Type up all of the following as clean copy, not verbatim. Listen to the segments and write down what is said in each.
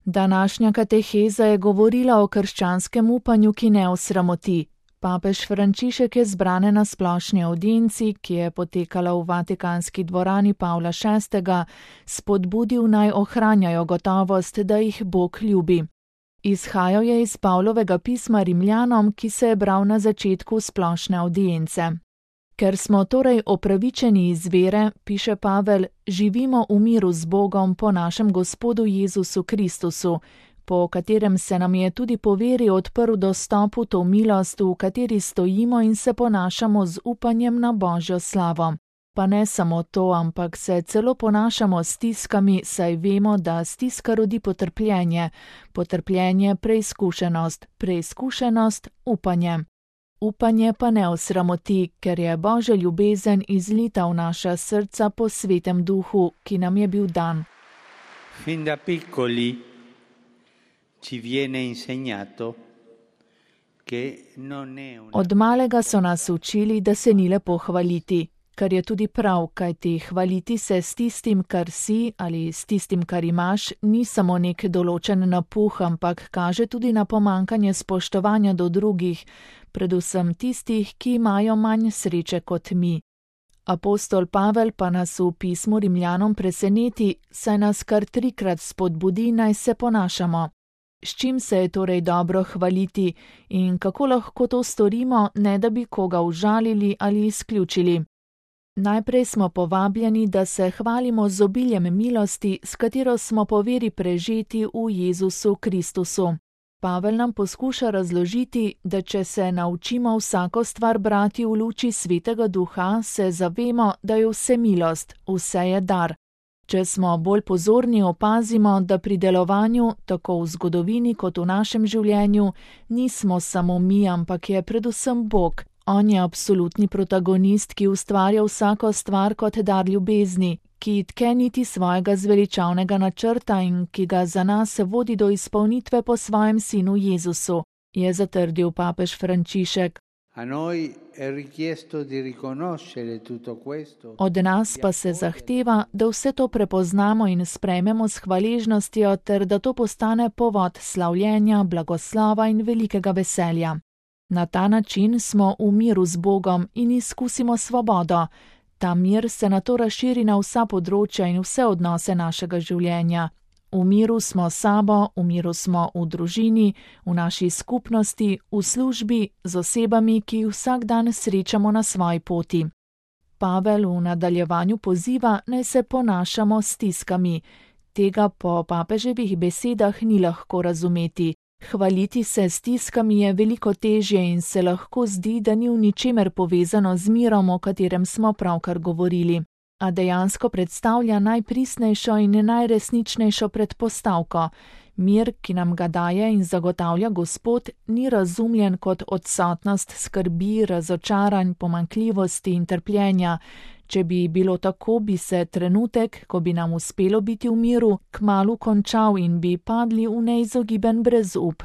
Današnja kateheza je govorila o krščanskem upanju, ki ne osramoti. Papež Frančišek je zbrane na splošni avdienci, ki je potekala v Vatikanski dvorani Pavla VI., spodbudil naj ohranjajo gotovost, da jih Bog ljubi. Izhajal je iz Pavlovega pisma Rimljanom, ki se je bral na začetku splošne avdience. Ker smo torej opravičeni iz vere, piše Pavel, živimo v miru z Bogom po našem Gospodu Jezusu Kristusu, po katerem se nam je tudi po veri odprl dostop v to milost, v kateri stojimo in se ponašamo z upanjem na Božjo slavo. Pa ne samo to, ampak se celo ponašamo s stiskami, saj vemo, da stiska rodi potrpljenje, potrpljenje preizkušenost, preizkušenost upanje. Upanje pa ne osramoti, ker je Božja ljubezen izlita v naša srca po Svetem Duhu, ki nam je bil dan. Fin da piccoli ci viene insegnato che non è una... Od malega so nas učili, da se ni lepo hvaliti, kar je tudi prav, kajti hvaliti se s tistim, kar si ali s tistim, kar imaš, ni samo nek določen napuh, ampak kaže tudi na pomankanje spoštovanja do drugih, predvsem tistih, ki imajo manj sreče kot mi. Apostol Pavel pa nas v pismu Rimljanom preseneti, saj nas kar 3-krat spodbudi, naj se ponašamo. S čim se je torej dobro hvaliti in kako lahko to storimo, ne da bi koga užalili ali izključili? Najprej smo povabljeni, da se hvalimo z obiljem milosti, s katero smo po veri prežeti v Jezusu Kristusu. Pavel nam poskuša razložiti, da če se naučimo vsako stvar brati v luči Svetega Duha, se zavemo, da je vse milost, vse je dar. Če smo bolj pozorni, opazimo, da pri delovanju, tako v zgodovini kot v našem življenju, nismo samo mi, ampak je predvsem Bog. On je absolutni protagonist, ki ustvarja vsako stvar kot dar ljubezni, ki tke niti svojega zveličavnega načrta in ki ga za nas vodi do izpolnitve po svojem sinu Jezusu, je zatrdil papež Frančišek. Od nas pa se zahteva, da vse to prepoznamo in sprejmemo s hvaležnostjo ter da to postane povod slavljenja, blagoslova in velikega veselja. Na ta način smo v miru z Bogom in izkusimo svobodo. Ta mir se nato razširi na vsa področja in vse odnose našega življenja. V miru smo s sabo, v miru smo v družini, v naši skupnosti, v službi, z osebami, ki jih vsak dan srečamo na svoji poti. Pavel v nadaljevanju poziva, naj se ponašamo s stiskami. Tega po papeževih besedah ni lahko razumeti. Hvaliti se s stiskami je veliko težje in se lahko zdi, da ni v ničemer povezano z mirom, o katerem smo pravkar govorili. A dejansko predstavlja najpristnejšo in najresničnejšo predpostavko. Mir, ki nam ga daje in zagotavlja Gospod, ni razumljen kot odsotnost skrbi, razočaranj, pomanjkljivosti in trpljenja. Če bi bilo tako, bi se trenutek, ko bi nam uspelo biti v miru, kmalu končal in bi padli v neizogiben brezup.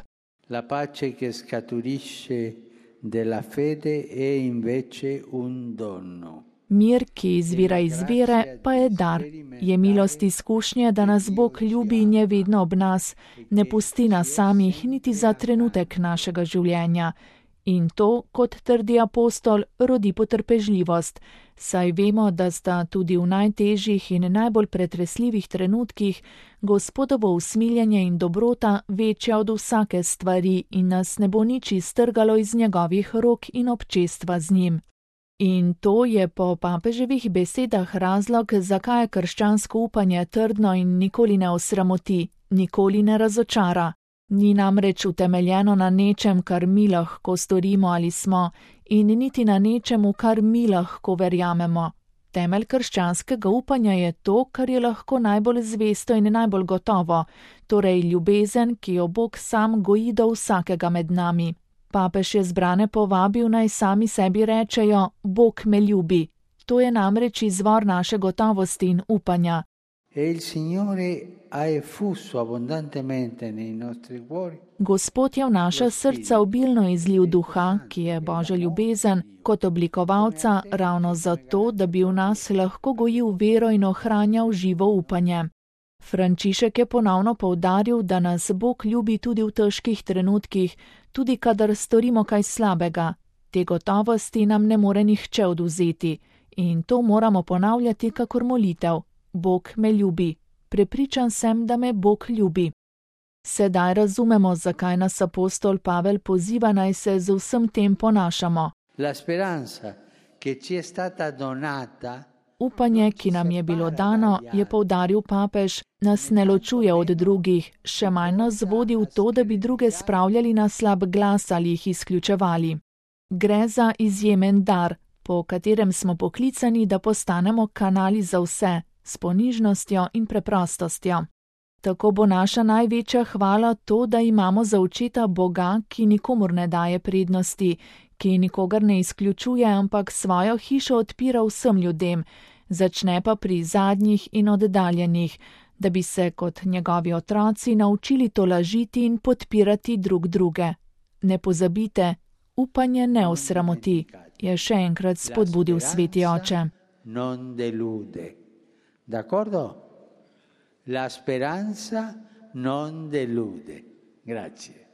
La pace che scaturisce della fede è invece un dono. Mir, ki izvira iz vere, pa je dar. Je milost izkušnje, da nas Bog ljubi in je vedno ob nas, ne pusti nas samih niti za trenutek našega življenja. In to, kot trdi apostol, rodi potrpežljivost, saj vemo, da sta tudi v najtežjih in najbolj pretresljivih trenutkih Gospodovo usmiljenje in dobrota večja od vsake stvari in nas ne bo nič iztrgalo iz njegovih rok in občestva z njim. In to je po papeževih besedah razlog, zakaj je krščansko upanje trdno in nikoli ne osramoti, nikoli ne razočara. Ni namreč utemeljeno na nečem, kar mi lahko storimo ali smo, in niti na nečemu, kar mi lahko verjamemo. Temelj krščanskega upanja je to, kar je lahko najbolj zvesto in najbolj gotovo, torej ljubezen, ki jo Bog sam goji do vsakega med nami. Papež je zbrane povabil, naj sami sebi rečejo, Bog me ljubi. To je namreč izvor naše gotovosti in upanja. Gospod je v naša srca obilno izlil duha, ki je Božja ljubezen, kot oblikovalca ravno zato, da bi v nas lahko gojil vero in ohranjal živo upanje. Frančišek je ponovno poudaril, da nas Bog ljubi tudi v težkih trenutkih, tudi kadar storimo kaj slabega. Te gotovosti nam ne more nihče odvzeti in to moramo ponavljati kakor molitev. Bog me ljubi. Prepričan sem, da me Bog ljubi. Sedaj razumemo, zakaj nas apostol Pavel poziva, naj se z vsem tem ponašamo. La speranza che ci è stata donata. Upanje, ki nam je bilo dano, je poudaril papež, nas ne ločuje od drugih, še manj nas vodi v to, da bi druge spravljali na slab glas ali jih izključevali. Gre za izjemen dar, po katerem smo poklicani, da postanemo kanali za vse, s ponižnostjo in preprostostjo. Tako bo naša največja hvala to, da imamo za očeta Boga, ki nikomur ne daje prednosti, ki nikogar ne izključuje, ampak svojo hišo odpira vsem ljudem, začne pa pri zadnjih in oddaljenih, da bi se kot njegovi otroci naučili tolažiti in podpirati drug druge. Ne pozabite, upanje ne osramoti, je še enkrat spodbudil sveti oče. Non delude. D'accordo? La speranza non delude. Grazie.